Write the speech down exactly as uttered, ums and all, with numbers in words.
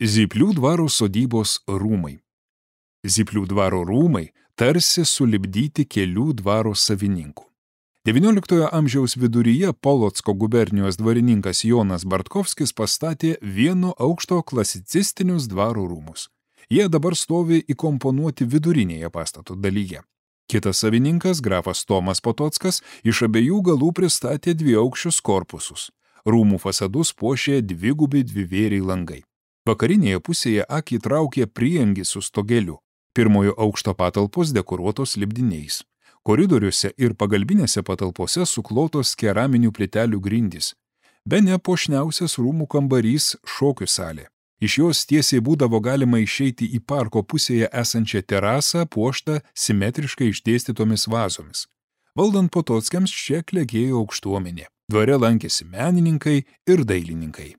Zyplių dvaro sodybos rūmai. Zyplių dvaro rūmai tarsi sulipdyti kelių dvaro savininkų. devynioliktojo amžiaus viduryje Polocko gubernijos dvarininkas Jonas Bartkovskis pastatė vieno aukšto klasicistinius dvaro rūmus. Jie dabar stovi įkomponuoti vidurinėje pastato dalyje. Kitas savininkas, grafas Tomas Potockas, iš abiejų galų pristatė dviaukščius korpusus. Rūmų fasadus puošė dvigubi dvivėriai langai. Vakarinėje pusėje akį traukė prieangis su stogeliu. Pirmojo aukšto patalpos dekoruotos lipdiniais. Koridoriuose ir pagalbinėse patalpose suklotos keraminių plytelių grindys. Bene puošniausias rūmų kambarys šokių salė. Iš jos tiesiai būdavo galima išeiti į parko pusėje esančią terasą puoštą simetriškai išdėstytomis vazomis. Valdant Potockiams čia klegėjo aukštuomenė. Dvare lankėsi menininkai ir dailininkai.